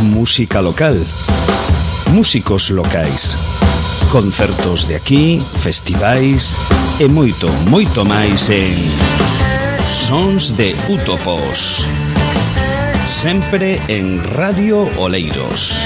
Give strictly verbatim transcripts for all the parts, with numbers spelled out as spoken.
música local, músicos locais, concertos de aquí, festivais e moito, moito máis en Sons de Útopos, sempre en Radio Oleiros.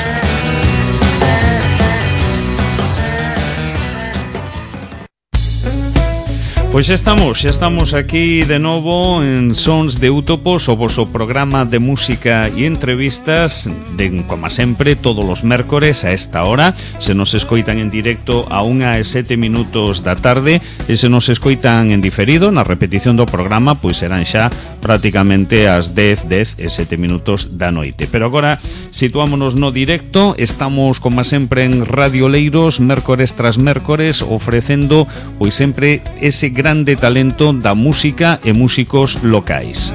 Pois xa estamos, xa estamos aquí de novo en Sons de Útopos, o voso programa de música e entrevistas de, como sempre, todos os mércores a esta hora. Se nos escoitan en directo a unha e sete minutos da tarde, e se nos escoitan en diferido na repetición do programa, pois serán xa prácticamente as dez, dez e sete minutos da noite. Pero agora situámonos no directo. Estamos, como sempre, en Radio Oleiros, mércores tras mércores, ofrecendo pois sempre ese grande talento da música e músicos locais.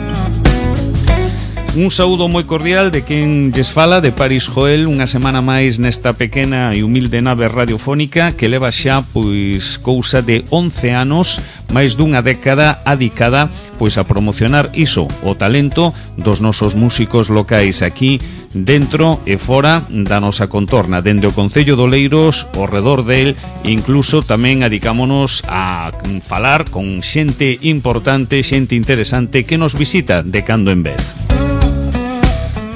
Un saúdo moi cordial de quen lles fala, de Paris Joel, unha semana máis nesta pequena e humilde nave radiofónica que leva xa pois cousa de once anos, máis dunha década adicada pois a promocionar iso, o talento dos nosos músicos locais aquí dentro e fora da nosa contorna, dende o Concello de Oleiros, ao redor del, incluso tamén adicámonos a falar con xente importante, xente interesante que nos visita de cando en vez.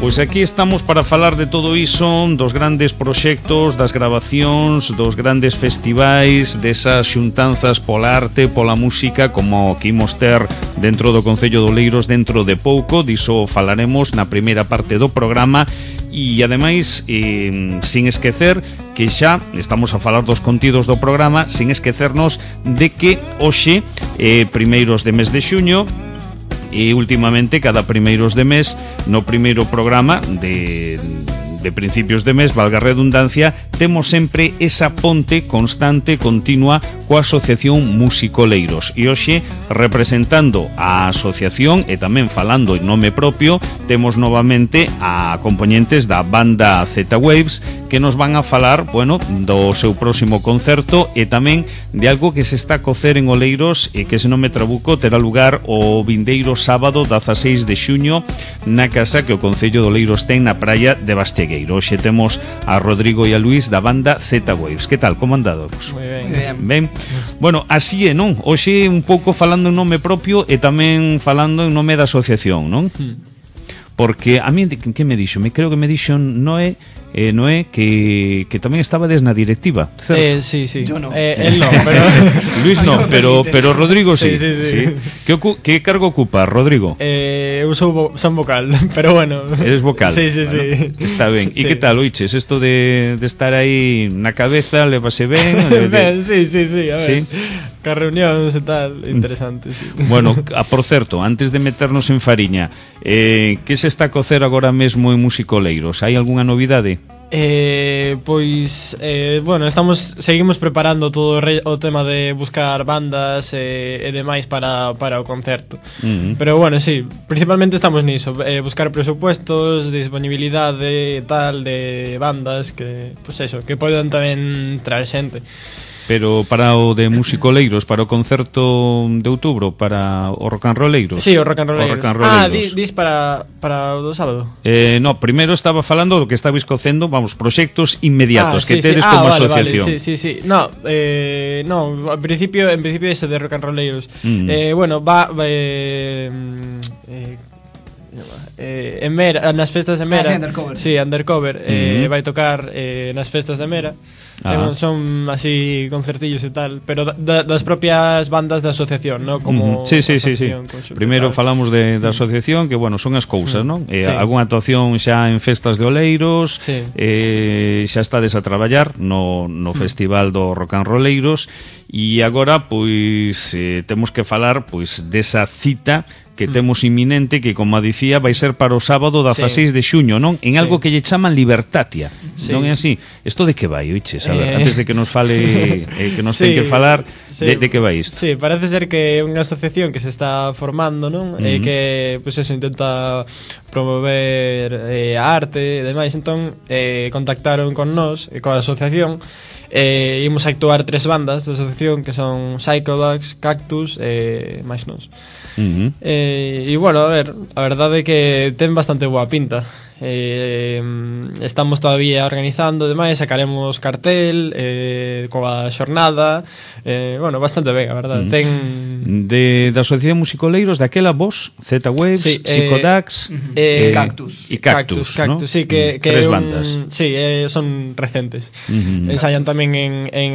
Pois aquí estamos para falar de todo iso, dos grandes proxectos, das grabacións, dos grandes festivais, desas xuntanzas pola arte, pola música, como que imos ter dentro do Concello de Oleiros dentro de pouco. Diso falaremos na primeira parte do programa. E ademais, eh, sin esquecer que xa estamos a falar dos contidos do programa, sin esquecernos de que hoxe, eh, primeiros de mes de xuño, e últimamente cada primeiros de mes, no primeiro programa de, de principios de mes, valga a redundancia, temos sempre esa ponte constante, continua, coa Asociación Musicoleiros. E hoxe, representando a asociación e tamén falando en nome propio, temos novamente a componentes da banda Z-Waves, que nos van a falar, bueno, do seu próximo concerto e tamén de algo que se está a cocer en Oleiros e que, se non me trabuco, terá lugar o vindeiro sábado dezaseis de xuño na casa que o Concello de Oleiros ten na praia de Bastegueiro. Hoxe temos a Rodrigo e a Luís da banda Z-Waves. Que tal? Como andados? Moi ben. Ben. ben. Bueno, así é, non? Hoxe un pouco falando en nome propio e tamén falando en nome da asociación, non? Hmm. Porque a mí, que me dixo? Me creo que me dixo Noé Eh, Noé, que, que tamén estabades na directiva, certo? Eh, sí, sí. Yo no. Eh, él no, pero... Luis no, pero, pero Rodrigo sí. Sí, sí, sí. sí. Que, ocu que cargo ocupa, Rodrigo? Eh, eu sou vo son vocal, pero bueno. Eres vocal? Sí, sí, bueno, sí. Está ben. E Sí. que tal, oiches? Esto de, de estar aí na cabeza, levase ben? De, de... Ben, sí, sí, sí, a ver. ¿Sí? Ca reunións e tal, interesante, sí. Bueno, a, por certo, antes de meternos en fariña, eh, que se está a cocer agora mesmo en Musicoleiros? Hai algunha novidade? Eh, pois, eh, bueno, estamos seguimos preparando todo o, re, o tema de buscar bandas e, e demais para, para o concerto. Uh-huh. Pero bueno, sí, principalmente estamos niso, eh, buscar presupuestos, disponibilidade e tal de bandas que, pois eso, que poden tamén traer xente. Pero para o de Musicoleiros, para o concerto de outubro, para o Rock and Rolleiros. Sí, o Rock and Rolleiros. Rock and Rolleiros. Ah, di, dis para, para o do sábado. Eh, no, primeiro estaba falando do que estabais cocendo, vamos, proxectos inmediatos ah, que sí, tedes sí. Ah, como vale, asociación. Vale, sí, sí, sí. No, eh, no, en principio, en principio ese de Rock and Rolleiros. Mm. Eh, bueno, va, va eh, eh, eh, en Mera, nas festas de Mera. Ah, sí, Undercover. Sí, Undercover, mm. eh, vai tocar eh, nas festas de Mera. Ah. Eh, son así concertillos e tal, pero da, das propias bandas da asociación, ¿no? Como uh -huh. Sí, sí, sí, sí. Primeiro falamos de, da asociación, que bueno, son as cousas, ¿no? Eh, sí. Algúnha actuación xa en festas de Oleiros, sí. eh, xa estades a traballar no, no uh -huh. Festival do Rock and Rolleiros, e agora, pois, eh, temos que falar, pois, desa cita que temos inminente, que, como dicía, vai ser para o sábado dezaseis de xuño, non? En algo sí. que lle chaman Libertatia, sí. non é así? Isto de que vai, oiches? A ver, eh... antes de que nos fale, eh, que nos sí. ten que falar, sí. de, de que vai isto? Sí, parece ser que é unha asociación que se está formando, non? Uh -huh. E que, pois pues eso, intenta promover eh, a arte e demais, entón eh, contactaron con nós, e coa asociación, e eh, imos a actuar tres bandas da asociación, que son Psychodax, Cactus e eh, máis nós. Uh -huh. E, e bueno, a ver, a verdade é que ten bastante boa pinta. eh, estamos todavía organizando demais, sacaremos cartel eh, coa xornada, eh, bueno, bastante ben, a verdade. Mm. Ten de da Asociación Musicoleiros daquela vos, Z-Waves, sí, Psicodax eh, eh, Cactus. E Cactus, Cactus, Cactus, ¿no? sí, que, que tres un, bandas. Sí, eh, son recentes. Uh-huh. Ensayan tamén en, en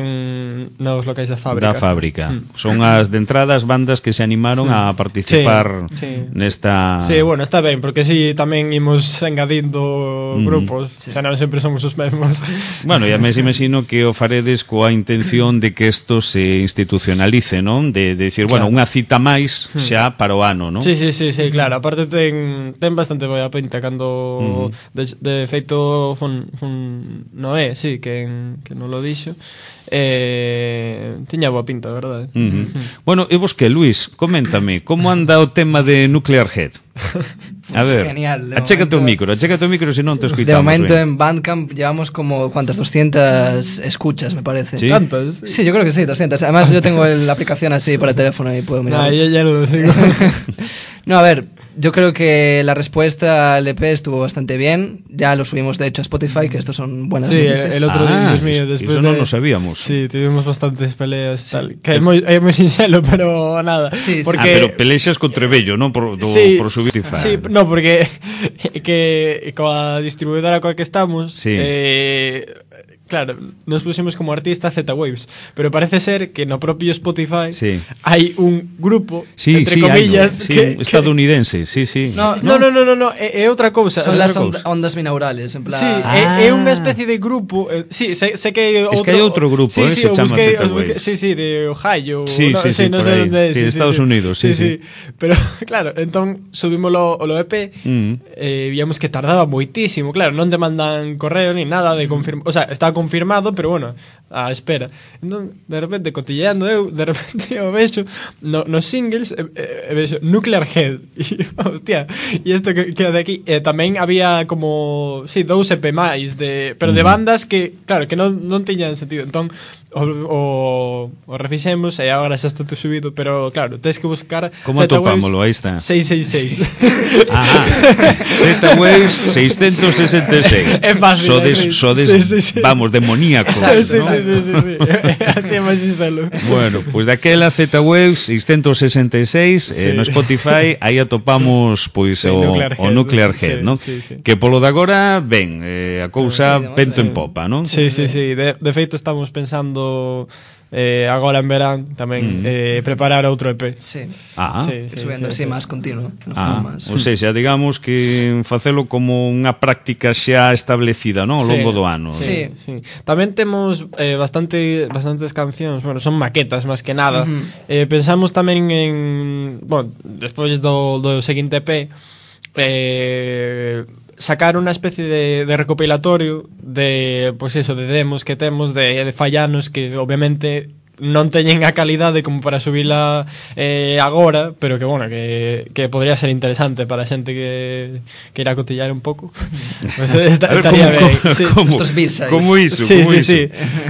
nos locais da fábrica. Da fábrica. Mm. Son as de entradas bandas que se animaron mm. a participar sí, sí. nesta... Sí, bueno, está ben, porque si sí, tamén imos engadindo mm. grupos, sí. Xa non sempre somos os mesmos. Bueno, e a mes imagino que o faredes coa intención de que isto se institucionalice, non? De, de decir, claro, bueno, unha cita máis xa para o ano, non? Sí, sí, sí, sí, claro. Aparte ten, ten bastante boa pinta cando mm. de, de feito fun, fun Noé, sí, que, que non lo dixo. Eh, tiña boa pinta, verdade? Uh-huh. Bueno, e vos que, Luis, coméntame, como anda o tema de Nuclear Head? A ver, genial, achécate o micro, achécate o micro, se non te escoitamos. De momento ben. En Bandcamp llevamos como, ¿cuántas? doscientas escuchas, me parece. ¿Sí? ¿Tantas? Sí, yo creo que sí, doscientas. Además yo tengo el, la aplicación así para el teléfono y puedo mirar. No, yo ya no lo sigo. No, a ver, yo creo que la respuesta al E P estuvo bastante bien. Ya lo subimos de hecho a Spotify, que estos son buenas sí, noticias. Sí, el otro ah, día, Dios mío, después eso de... non lo sabíamos. Sí, tuvimos bastantes peleas tal. Que é moi, é moi sincero, pero nada. Sí, porque... Ah, pero pelexas con Trebello, non? Por, do, sí, por subir Spotify. Sí, no, porque que coa distribuidora coa que estamos sí. eh, claro, nos pusimos como artista Z-Waves, pero parece ser que no propio Spotify sí. hai un grupo, sí, entre sí, comillas, sí, que, estadounidense, sí, sí. No, no, no, no, no, no é, é outra cousa. Son las onda, ondas binaurales, en plan. Sí, ah. é, é unha especie de grupo, eh, sí, sé, sé que hai outro. Es que hai outro grupo, sí, eh, sí, se chama busquei, Z-Waves. Sí, sí, de Ohio, sí, no, sí, sí, sí, no por sé aí. onde, sí, sí, Estados sí, Unidos, sí, sí, sí. Pero claro, entón subímoslo o E P, mm. eh, víamos que tardaba moitísimo, claro, non te mandan correo ni nada de confirmar, o sea, está confirmado, pero bueno, a espera. Entón, de repente, cotilleando eu, de repente o vexo no, nos singles, e, e, e vexo Nuclear Head. E, hostia, e isto que queda de aquí. E tamén había como, sí, dous E P máis, de, pero de bandas que, claro, que non, non tiñan sentido. Entón, o, o, o refixemos e agora xa está todo subido, pero claro, tens que buscar como atopámolo, aí está seiscientos sesenta e seis. Ajá. Z-Waves seiscientos sesenta e seis. É fácil. Sodes, sí, sodes sí, sí, sí. Vamos, demoníacos, exacto, sí, ¿no? sí, sí, sí, sí. Así é máis sincero. Bueno, pois pues daquela Z-Waves seiscientos sesenta e seis sí. eh, no Spotify, aí atopamos pois sí, o Nuclear Head, o Nuclear Head, sí, ¿no? Sí, sí. Que polo de agora, ben, eh, a cousa sí, vento sí. en popa, non? Sí, sí, sí, de, de feito estamos pensando eh, agora en verán tamén mm. eh, preparar outro E P. Sí. Ah, sí, sí, subiendo sí, así sí. Máis continuo, no ah, más. Ou seja, digamos que facelo como unha práctica xa establecida, non, ao longo sí, do ano. Sí, sí. Tamén temos eh, bastante bastantes cancións, bueno, son maquetas máis que nada. Uh-huh. Eh, pensamos tamén en, bueno, despois do do seguinte E P eh sacar unha especie de, de recopilatorio de, pois pues eso, de demos que temos de, de fallanos que obviamente non teñen a calidade como para subila eh, agora, pero que, bueno, que, que podría ser interesante para a xente que, que irá cotillar un pouco. Pues esta, estaría ben. Sí. Como, como iso, sí, como sí, iso. Sí.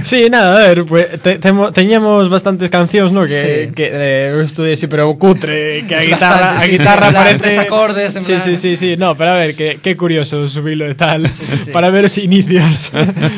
Sí, nada, a ver, pues, te, temo, teñamos bastantes cancións, ¿no? Que, sí. que eh, eu estudei así, pero cutre, que a es guitarra, bastante, a guitarra sí, parece... tres acordes, en sí, plan... sí, sí, sí, no, pero a ver, que, que curioso subilo e tal, sí, sí, sí. para ver os inicios.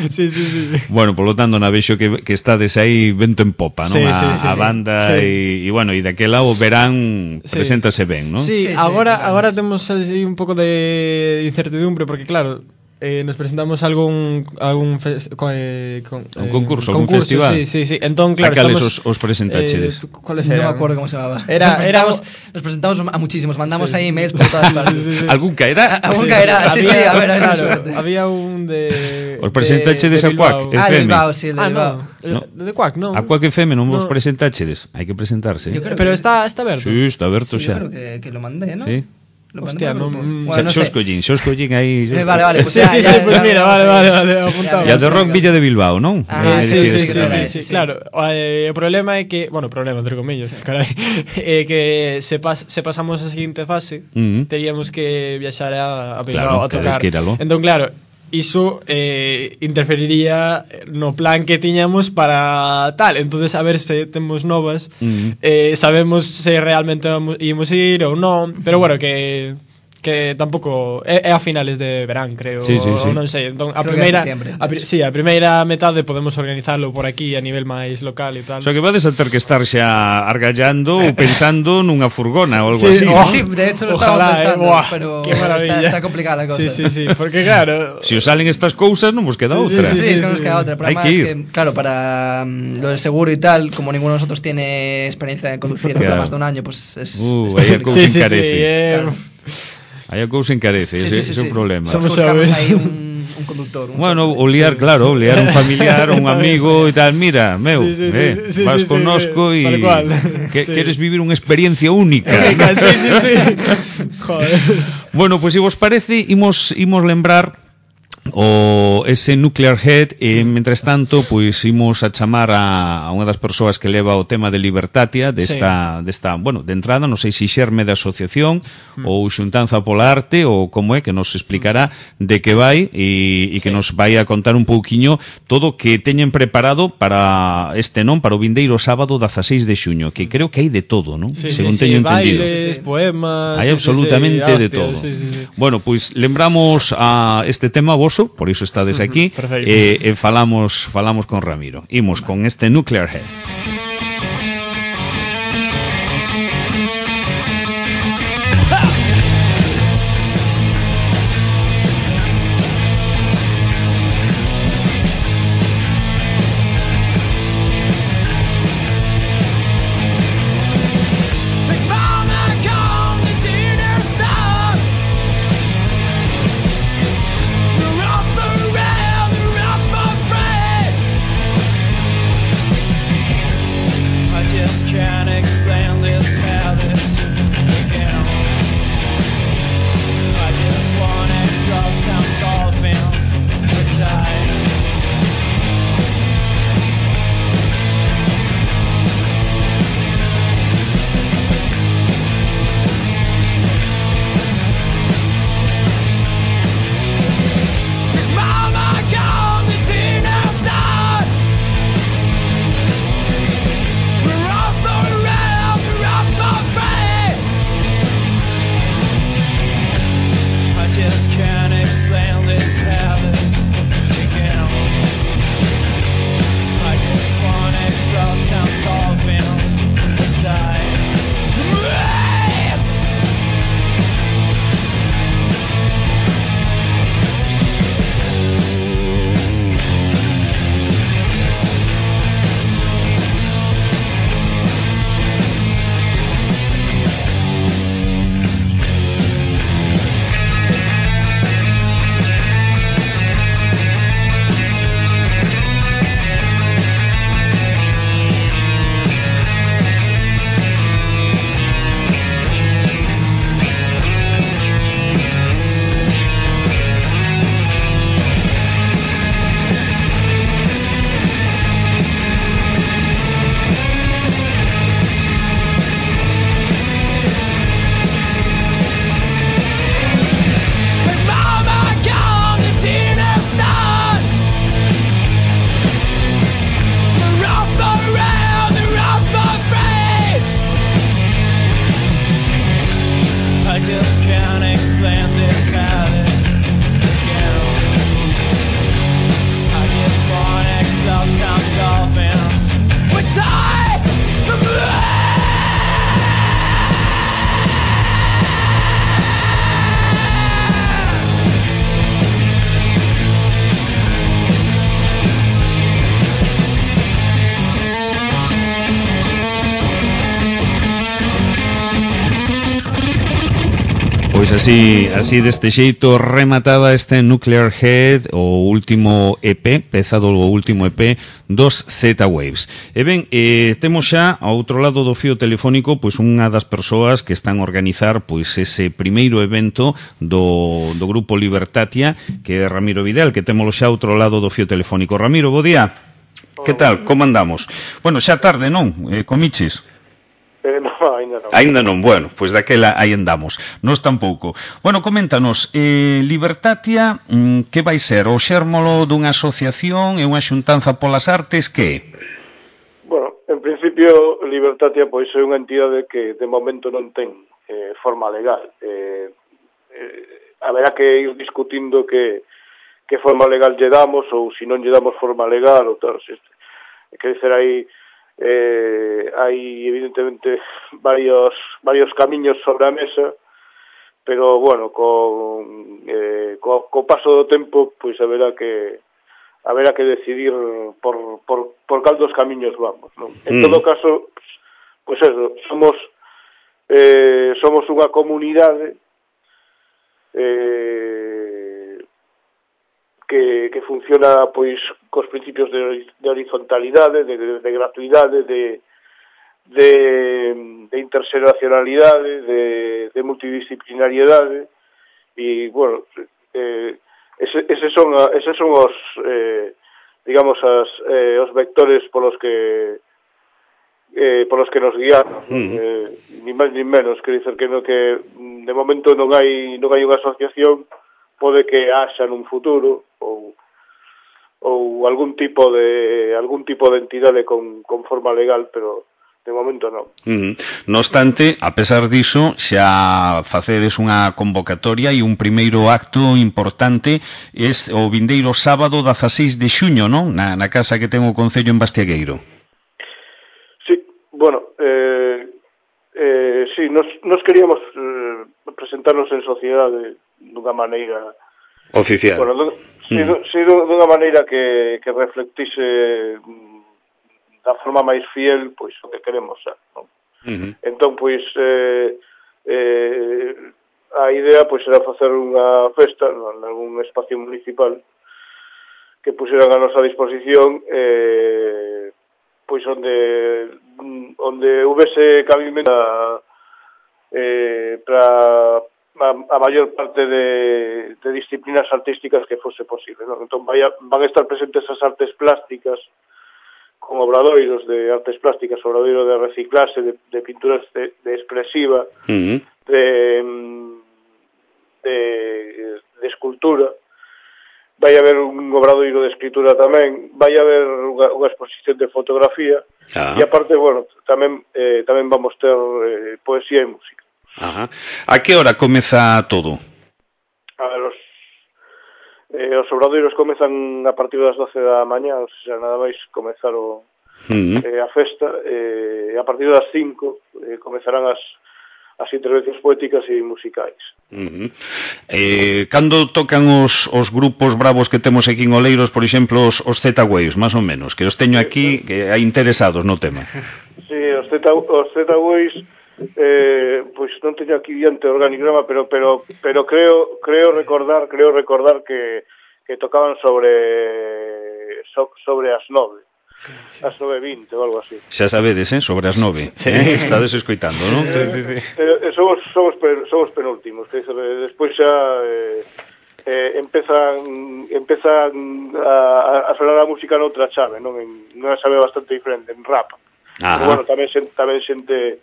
Sí, sí, sí. Bueno, por lo tanto, na vexo que, que estades aí vento en popa, non? Sí, a, sí, sí, a sí. banda e, sí. e, bueno, e daquela o verán sí. preséntase ben, non? Sí, sí, agora, sí, agora temos así un pouco de incertidumbre, porque claro... Eh, nos presentamos algún algún fe, con, eh, con, un concurso, eh, algún concurso, festival. Sí, sí, sí. Entón, claro, a cales estamos, os, os presentachedes? Eh, ¿Cuáles eran? eran? No me acuerdo cómo se llamaba. Era, nos, era presentamos, nos presentamos a muchísimos, mandamos sí. ahí emails por todas partes. Sí, sí, sí. ¿Algún caerá? Algún sí, caerá, sí, había, sí, a ver, a ver, claro, suerte. había un de... Os presentachedes a Quack Ah, F M. de Bilbao, sí, el de ah, Bilbao. no, no. De Quack, no. A Quack F M non vos no. presentachedes. Hai que presentarse. Pero que... está, está aberto. Sí, está aberto sí, xa. Yo creo que, que lo mandé, ¿no? Sí. Lo Hostia, no, bueno, no sé. Xos collín, xos collín aí. Eh, vale, vale, pues sí, ya, sí, ya, sí, pues ya, mira, ya, vale, ya, vale, vale, apuntamos. E a de Rock Villa de Bilbao, non? Ah, eh, sí, sí, sí, sí, sí, sí, sí, claro. Eh, o problema é que, bueno, problema entre comillas, sí. Carai, é que se pas, se pasamos a seguinte fase, uh-huh. teríamos que viaxar a, a Bilbao claro, a tocar. Que iralo. Entón, claro, iso eh, interferiría no plan que tiñamos para tal. Entonces, a ver se temos novas, uh-huh. eh, sabemos se realmente vamos, ímos ir ou non, pero bueno, que que tampouco é, é a finales de verán, creo, sí, sí, sí. ou non sei. Entón, a Creo primeira, que é septiembre, a, pri- sí, a primeira metade podemos organizalo por aquí a nivel máis local e tal. O sea que vades a ter que estar xa argallando ou pensando nunha furgona ou algo Sí, así. oh, ¿no? Sí, de hecho lo Ojalá, estaba pensando, eh, buah, pero qué maravilla. está, está complicada la cosa. Sí, sí, sí, porque claro, Si os salen estas cousas non vos queda Sí, sí, outra. Sí, sí, es que no nos sí. queda otra. El Hay problema que es ir. que, claro, para mm, lo del seguro y tal, como ninguno de nosotros tiene experiencia en conducir en Claro. más de un año, pues es. Uh, es vaya complicado. cousa sí, sí, sí, encarece. eh, Claro. Aí a cousa encarece, Sí, ese sí, sí, ese é o sí. problema. Somos Buscamos sabes. ahí un, un conductor. Un Bueno, chofer. o liar, claro, o liar un familiar, un amigo e tal, mira, meu, Sí, sí, sí, eh, sí, sí, vas sí, sí, connosco sí, e tal cual. que Sí. queres vivir unha experiencia única. sí, sí, sí. Joder. Bueno, pois pues, se vos parece, imos imos lembrar o ese Nuclear Head e, mentres tanto, pois imos a chamar a, a unha das persoas que leva o tema de Libertatia desta, sí. desta, bueno, de entrada, non sei se xerme da asociación mm. ou xuntanza pola arte ou como é, que nos explicará de que vai e, e que sí. nos vai a contar un pouquiño todo o que teñen preparado para este, non, para o vindeiro sábado dezaseis de xuño, que creo que hai de todo, non? Sí, Según sí, teño sí, entendido. bailes, poemas. Hai sí, absolutamente sí, sí, de hostia, todo. Sí, sí, sí. Bueno, pois lembramos a este tema voso, por iso estades aquí, Perfecto. e, e falamos falamos con Ramiro. Imos con este Nuclear Head. Can't explain this habit again. I just wanna explode some dolphins and die. Mama, come to dinner side. Just can't explain this habit again. I just wanna explode some dolphins and die. Pois así, así deste xeito remataba este Nuclear Head, o último E P, peza do último E P dos Z-Waves. E ben, eh, temos xa ao outro lado do fío telefónico pois unha das persoas que están a organizar pois ese primeiro evento do, do grupo Libertatia, que é Ramiro Vidal, que témolo xa ao outro lado do fío telefónico. Ramiro, bo día. Que tal? Como andamos? Bueno, xa tarde, non? Eh, comiches? Eh, no, ainda non. Ainda non, bueno, pois daquela aí andamos. Nos tampouco. Bueno, coméntanos, eh, Libertatia, mm, que vai ser? O xérmolo dunha asociación e unha xuntanza polas artes, que? Bueno, en principio, Libertatia pois é unha entidade que de momento non ten eh, forma legal. Eh, haberá que ir discutindo que, que forma legal lle damos ou se non lle damos forma legal ou tal, se, que dizer, hai eh, hai evidentemente varios varios camiños sobre a mesa, pero bueno, con eh, co, co paso do tempo pois haberá que haberá que decidir por, por, por cal dos camiños vamos, non? En mm. todo caso, pois eso, somos eh, somos unha comunidade eh, que, que funciona pois cos principios de, de horizontalidade, de, de, de gratuidade, de, de, de interxeracionalidade, de, de multidisciplinariedade, e, bueno, eh, ese, ese son, eses son os, eh, digamos, as, eh, os vectores polos que eh, polos que nos guiamos, mm. eh, ni máis ni menos, quer dizer que no que de momento non hai non hai unha asociación, pode que haxa nun futuro ou ou algún tipo de algún tipo de entidade con, con forma legal, pero de momento non. Mm. No obstante, a pesar diso, xa facedes unha convocatoria e un primeiro acto importante es o vindeiro sábado dezaseis de xuño, non? Na, na casa que ten o Concello en Bastiagueiro. Sí, bueno, eh, eh, sí, nos, nos queríamos eh, presentarnos en sociedade dunha maneira oficial. Bueno, do, mm. sí, do, sí, dunha maneira que, que reflectise da forma máis fiel pois o que queremos ser, non? Uh-huh. Entón, pois eh, eh, a idea pois era facer unha festa en algún espacio municipal que puseran a nosa disposición eh, pois onde onde houvese cabimento eh, para a, a maior parte de, de disciplinas artísticas que fose posible, non? Entón vaya, van a estar presentes as artes plásticas con obradoiros de artes plásticas, obradoiro de reciclaxe, de, de pinturas de, de expresiva, uh-huh. de, de, de escultura. Vai haber un obradoiro de escritura tamén, vai haber unha, unha exposición de fotografía, ah. e aparte, bueno, tamén eh, tamén vamos ter eh, poesía e música. Ajá. A que hora comeza todo? A ver, os Eh, os obradoiros comezan a partir das doce da mañá, ou sea, nada máis comezar o, uh-huh. eh, a festa, e eh, a partir das cinco eh, comezarán as, as intervencións poéticas e musicais. Uh-huh. Eh, cando tocan os, os grupos bravos que temos aquí en Oleiros, por exemplo, os, os Z-Waves, máis ou menos, que os teño aquí que hai interesados no tema? Sí, os Z-Waves Eh, pois non teño aquí diante o organigrama, pero pero pero creo creo recordar, creo recordar que que tocaban sobre so, sobre as nove. As nove vinte ou algo así. Xa sabedes, eh, sobre as nove. Sí. Eh, estades escoitando, non? Sí, sí, sí. Eh, somos somos somos penúltimos, que despois xa eh, eh, empezan empezan a, a sonar a música noutra chave, non en unha chave bastante diferente, en rap. Pero bueno, tamén tamén xente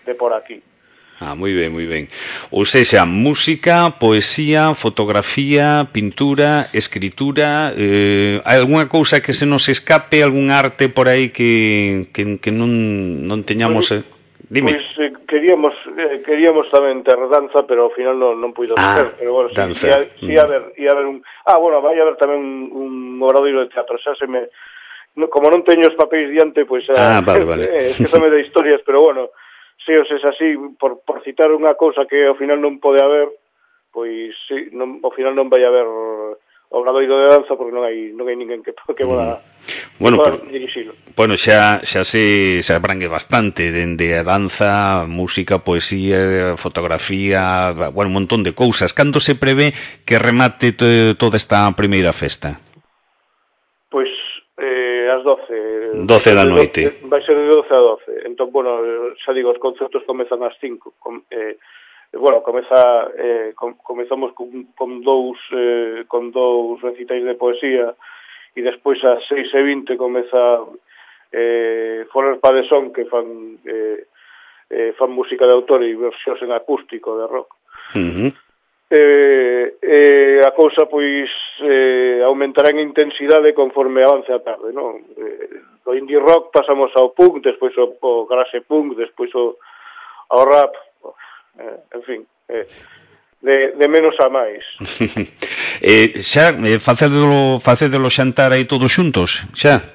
de por aquí. Ah, moi ben, moi ben. Ou seja, música, poesía, fotografía, pintura, escritura, eh, hai algunha cousa que se nos escape, algún arte por aí que, que, que non, non teñamos... Pues, eh? Dime. Pois pues, eh, queríamos eh, queríamos tamén ter danza, pero ao final non, non puido ah, ser. Pero bueno, si, si, si, mm. a ver, ia haber un... Ah, bueno, vai haber tamén un, un obradoiro de teatro, xa se me... No, como non teño os papéis diante, pois... Pues, ah, vale, vale. Eh, que me de historias, pero bueno... Se os es así, por, por citar unha cousa que ao final non pode haber, pois sí, non, ao final non vai haber obradoiro de danza porque non hai non hai ninguén que que poda mm. bueno, poda dirixilo. Bueno, xa xa se se abrangue bastante dende a danza, música, poesía, fotografía, bueno, un montón de cousas. Cando se prevé que remate toda esta primeira festa? Pois eh, ás doce. doce da noite. Vai ser de doce a doce. Entón, bueno, xa digo, os concertos comezan ás cinco. Com, eh, bueno, comeza eh, com, comezamos con, con dous eh, con dous recitais de poesía e despois ás seis e vinte comeza eh, Foler pa de Son, que fan eh, eh, fan música de autor e versións en acústico de rock. Uh-huh. Eh, eh, a cousa pois eh, aumentará en intensidade conforme avance a tarde, non? Eh, do indie rock pasamos ao punk, despois ao, ao garage punk, despois ao, ao rap, eh, en fin, eh, de, de menos a máis. eh, xa, eh, facedelo, facedelo xantar aí todos xuntos, xa?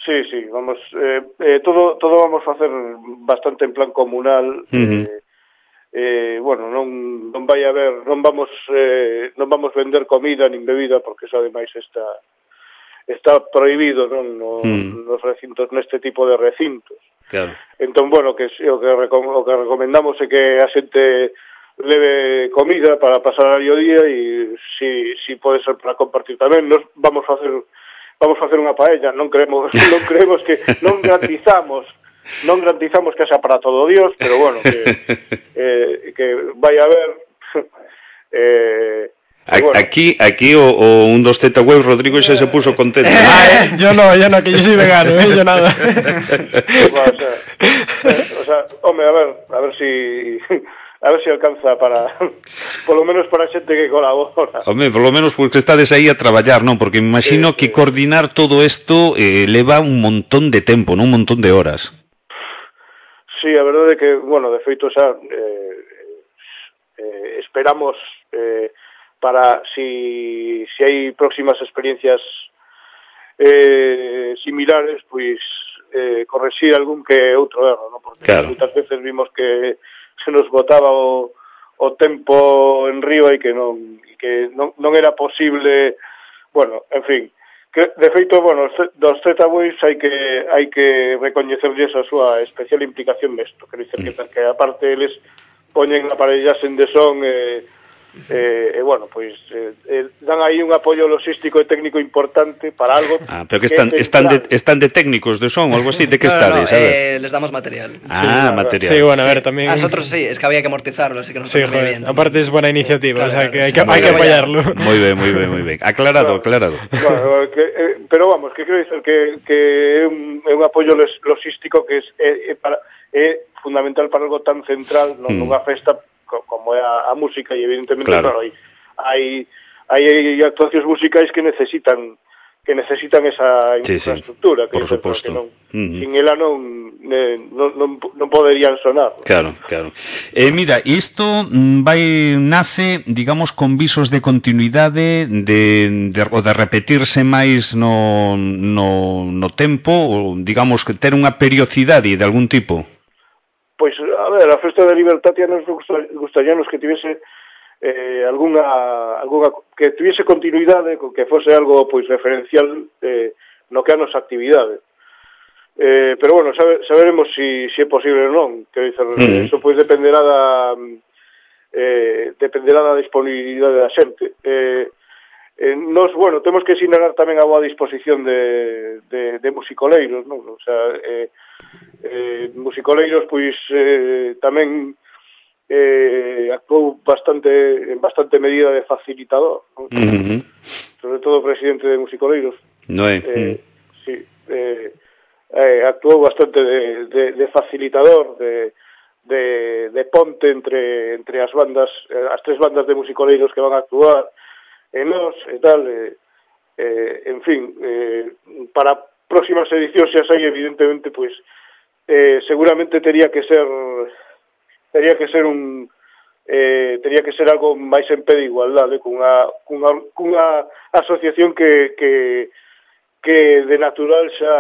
Sí, sí, vamos, eh, eh, todo todo vamos a facer bastante en plan comunal. Uh-huh. eh, eh, bueno, non non vai haber, non vamos eh, non vamos vender comida nin bebida porque eso ademais está está prohibido, non, no, uh-huh. nos recintos, neste tipo de recintos. Claro. Entón, bueno, que o que recom o que recomendamos é que a xente leve comida para pasar aí o día e si si pode ser para compartir tamén. Nos vamos a facer vamos a facer unha paella, non creemos non creemos que non garantizamos non garantizamos que sea para todo Dios, pero bueno, que eh, que vai a haber eh A, bueno. Aquí, aquí o, o un dos Z web Rodrigo xa se puso contento. Ah, eh, yo no, yo no, que yo soy vegano, eh, yo nada. Bueno, o sea, eh, o sea, home, a ver, a ver si a ver si alcanza para por lo menos para a xente que colabora. Home, por lo menos porque estades aí a traballar, non? Porque me imagino sí, que sí. coordinar todo isto eh, leva un montón de tempo, non un montón de horas. Sí, a verdade é que, bueno, de feito xa eh, eh, esperamos eh, para si, si hai próximas experiencias eh, similares, pois eh, correxir algún que outro erro, ¿no? Porque claro. Muitas veces vimos que se nos botaba o, o tempo en río e que non e que non, non era posible, bueno, en fin, que de feito, bueno, dos Z-Boys hai que hai que recoñecerlles a súa especial implicación nesto, quero dizer que, que aparte eles poñen aparellas en de son e eh, Eh, eh, bueno, pois eh, eh, dan aí un apoio logístico e técnico importante para algo. Ah, pero que están, que están, de, están de técnicos de son, algo así, ¿de qué no, estades? No, eh, les damos material. Ah, sí, material. Sí, bueno, a ver, también... A nosotros sí, es que había que amortizarlo, así que nos sí, joder, bien. Aparte es buena iniciativa, claro, o sea, que hay que, hay que apoyarlo. Muy bien, muy bien, muy bien. Aclarado, aclarado. Bueno, que, eh, pero vamos, que quero dizer que, que é un, un apoio logístico que é, é, para, é fundamental para algo tan central, non, mm. nunha festa como é a, a música e evidentemente claro. Claro, hai hai actuacións musicais que necesitan que necesitan esa sí, infraestructura, sí, que por suposto. Non, uh-huh. sin ela non, eh, non, non, non poderían sonar. Claro, claro. Eh, mira, isto vai nace, digamos, con visos de continuidade, de, de, o de repetirse máis no, no, no tempo, ou, digamos, que ter unha periodicidade de algún tipo? Pois, a ver, a Festa de Libertatia nos gustaríanos que tivese eh, alguna, alguna que tuviese continuidade, que fose algo pois referencial eh, no que a nosa actividade. Eh, pero bueno, sabe, saberemos si, si é posible ou non. Quero dizer, mm. eso pois dependerá da eh, dependerá da disponibilidade da xente. Eh, eh, nos, bueno, temos que sinalar tamén a boa disposición de, de, de musicoleiros, non? O sea, eh, eh, musicoleiros pois eh, tamén eh, actuou bastante en bastante medida de facilitador, ¿no? Uh-huh. Sobre todo o presidente de musicoleiros no é eh, uh-huh. sí, eh, eh, actuou bastante de, de, de facilitador de, de, de ponte entre entre as bandas, as tres bandas de musicoleiros que van a actuar e nós e tal eh, eh, en fin eh, para próximas edicións xa sei evidentemente pois eh, seguramente tería que ser tería que ser un eh, tería que ser algo máis en pé de igualdade cunha, cunha, cunha asociación que, que, que de natural xa,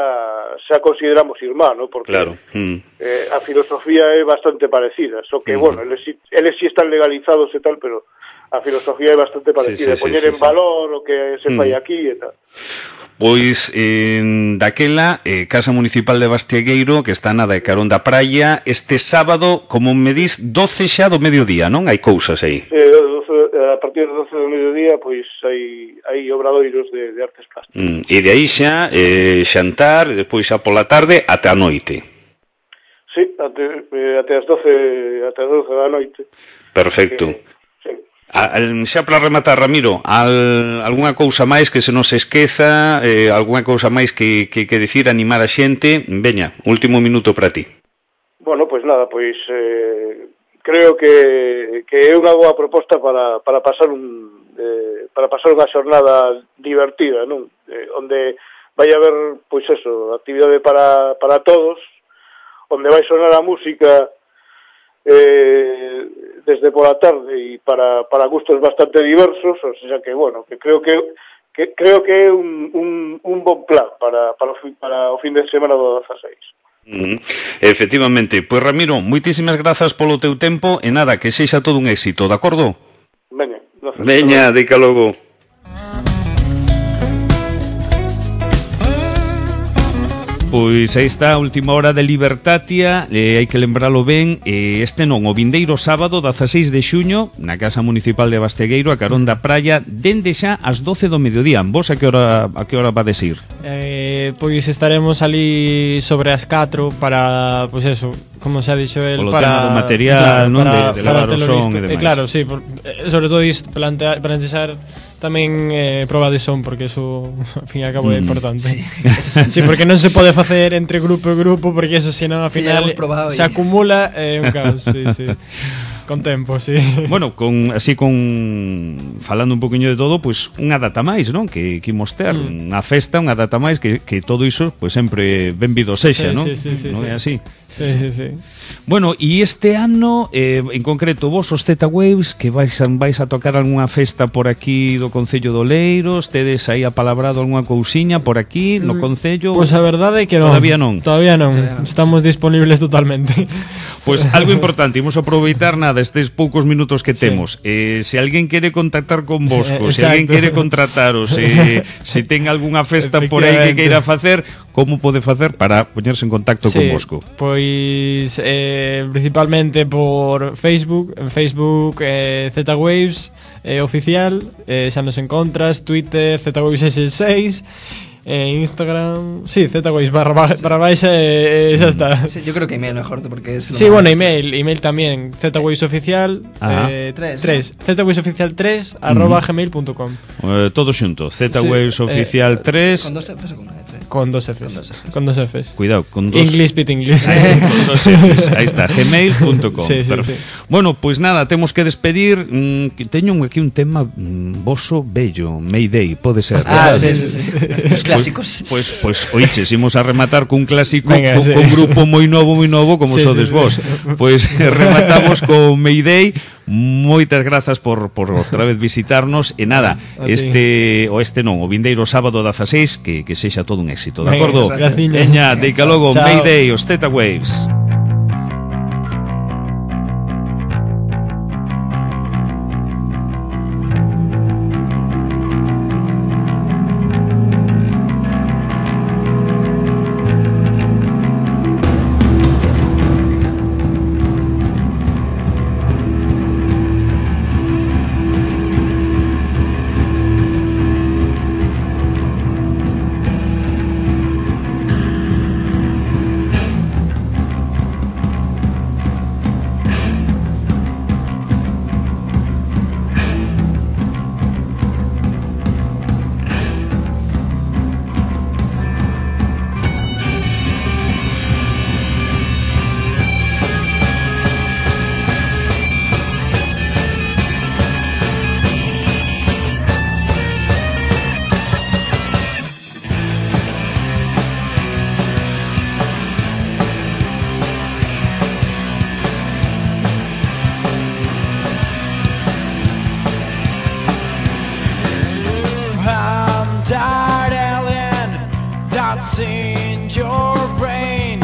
xa consideramos irmán, ¿no? Porque claro. mm. eh, a filosofía é bastante parecida, só que, mm. bueno, eles, eles sí están legalizados e tal, pero a filosofía é bastante parecida, sí, sí, poñer sí, sí, en valor sí. o que se fai mm. aquí e tal. Pois, eh, daquela, eh, Casa Municipal de Bastiegueiro, que está nada de carón da praia, este sábado, como me dis, doce xa do mediodía, non? Hai cousas aí. Eh, doce, a partir do doce do mediodía, pois, hai, hai obradoiros de, de artes plásticas. Mm, e de aí xa, eh, xantar, e despois xa pola tarde, até a noite. Sí, até, eh, até as doce, até as doce da noite. Perfecto. Que, Al, xa para rematar, Ramiro, al, algunha cousa máis que se nos esqueza, eh, algunha cousa máis que, que, que decir, animar a xente? Veña, último minuto para ti. Bueno, pois nada, pois eh, creo que, que é unha boa proposta para, para pasar un eh, para pasar unha xornada divertida, non? Eh, onde vai haber, pois eso, actividade para, para todos, onde vai sonar a música eh, desde pola tarde e para, para gustos bastante diversos, o sea que, bueno, que creo que que creo que é un, un, un bon plan para, para, o, para o fin de semana do dezaseis. Mm, efectivamente, pois Ramiro, moitísimas grazas polo teu tempo e nada, que sexa todo un éxito, de acordo? Veña, gracias. Veña, dica logo. Pois aí está a última hora de Libertatia, eh, hai que lembralo ben, eh, este non, o vindeiro sábado, dezaseis de xuño, na Casa Municipal de Bastegueiro, a carón da praia, dende xa ás doce do mediodía. Vos a que hora a que hora vades ir? Eh, pois estaremos ali sobre as catro para, pois eso, como xa dixo el, Polo para tema do material, claro, non? para, De, de para lavar o telo son visto. e demais. Eh, claro, sí, por, eh, sobre todo isto, plantear, plantear tamén eh, proba de son, porque eso, ao fin e ao cabo, é importante. Sí. Sí, porque non se pode facer entre grupo e grupo, porque eso, senón, ao Sí, final, ya hemos probado se y- acumula é eh, un caos, sí, sí. Con tempo, sí. Bueno, con así con falando un poquinho de todo, pois pues, unha data máis, non? Que que imos ter, Mm. unha festa, unha data máis que, que todo iso, pois pues, sempre benvido sexa, Sí, non? sí, sí, sí, non sí. é así. Sí, sí, sí. Bueno, e este ano, eh, en concreto, vos os Z-Waves, que vais a, vais a tocar algunha festa por aquí do Concello de Oleiros, tedes aí apalabrado algunha cousiña por aquí, no Concello? Pois pues a verdade é que non. Todavía non. Todavía non. Todavía non. Estamos disponibles totalmente. Pois pues, algo importante, imos aproveitar nada estes poucos minutos que Sí. temos. Eh, se alguén quere contactar con vos, Eh, se alguén exacto. quere contrataros, eh, se ten algunha festa por aí que Efectivamente. queira facer, como pode facer para poñerse en contacto con vosco? Pois eh, principalmente por Facebook, en Facebook eh, Z-Waves eh, oficial, eh, xa nos encontras, Twitter Z-Waves sesenta e seis, eh, Instagram, sí, Z-Waves barra, ba- barra baixa e eh, xa está. Sí, yo creo que email mejor, porque es lo Sí, más- bueno, email, email tamén, Z-Waves oficial, Ajá. eh, Tres, tres, Z-Waves oficial tres arroba gmail punto com. Eh, todo xunto, Z-Waves Sí, oficial eh, tres. Con dos Fs o con una F. Con dos Fs. Con dos Fs. Con dos Fs. Cuidado, con dos. English bit English. Ahí, con dos Fs. Ahí está, gmail punto com. Sí, sí, Perfecto. sí. Bueno, pois pues nada, temos que despedir. Mm, que teño aquí un tema mm, voso bello, Mayday, pode ser. Ah, verdad? sí, sí, sí. Los clásicos. Pois, pois, oiches, imos a rematar cun clásico, Venga, con, sí. con grupo moi novo, moi novo, como Sí, sodes sí, vos. sí. Pois rematamos con Mayday. Moitas grazas por, por outra vez visitarnos. E nada, A ti. este, o este non, o vindeiro sábado dezaseis, que, que sexa todo un éxito, de Venga, acordo? muchas gracias. Veña, deica logo, Chao. Mayday, os Z-Waves. I'm tired alien that's in your brain.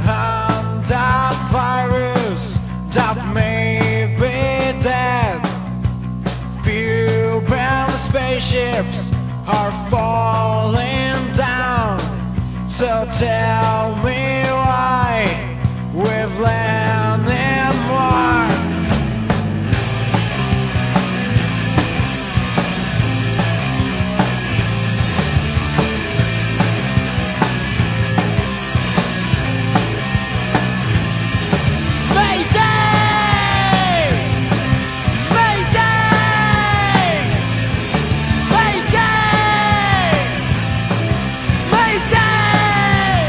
I'm that virus that may be dead. Few bound spaceships are falling down. So tell me why we've landed more. Mayday! Mayday! Mayday! Mayday!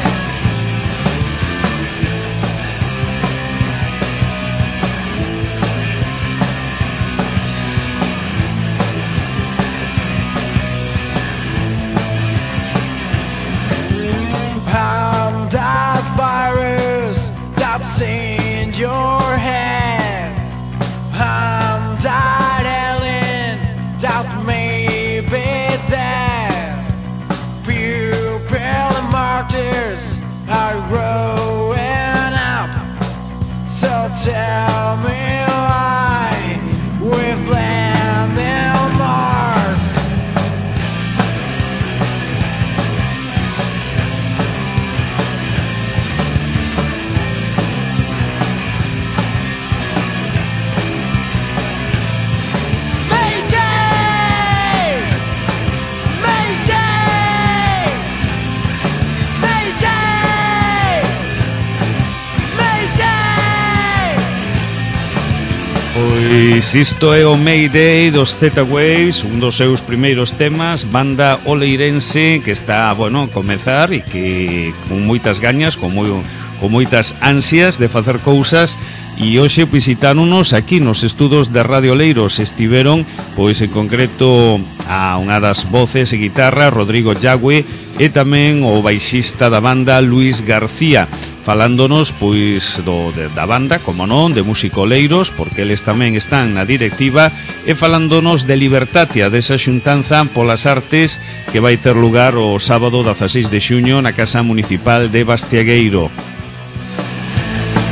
Pois isto é o Mayday dos Z-Waves, un dos seus primeiros temas, banda oleirense que está, bueno, a comezar e que con moitas gañas, con, moi, con moitas ansias de facer cousas. E hoxe visitáronos aquí nos estudos de Radio Oleiros. Estiveron, pois en concreto, a unha das voces e guitarra, Rodrigo Yagüe, e tamén o baixista da banda, Luis García, falándonos, pois, do, de, da banda, como non, de Música Oleiros, porque eles tamén están na directiva, e falándonos de Libertatia, desa xuntanza polas artes que vai ter lugar o sábado dezaseis de xuño na Casa Municipal de Bastiagueiro.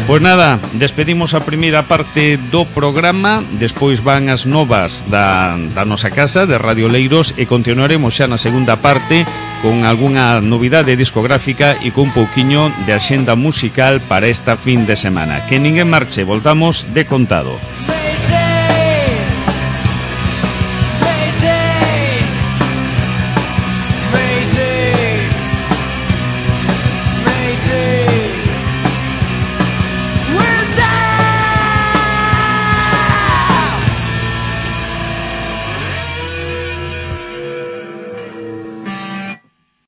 Pois nada, despedimos a primeira parte do programa, despois van as novas da, da nosa casa de Radio Oleiros e continuaremos xa na segunda parte con algunha novidade discográfica e con un pouquiño de axenda musical para esta fin de semana. Que ninguén marche, voltamos de contado.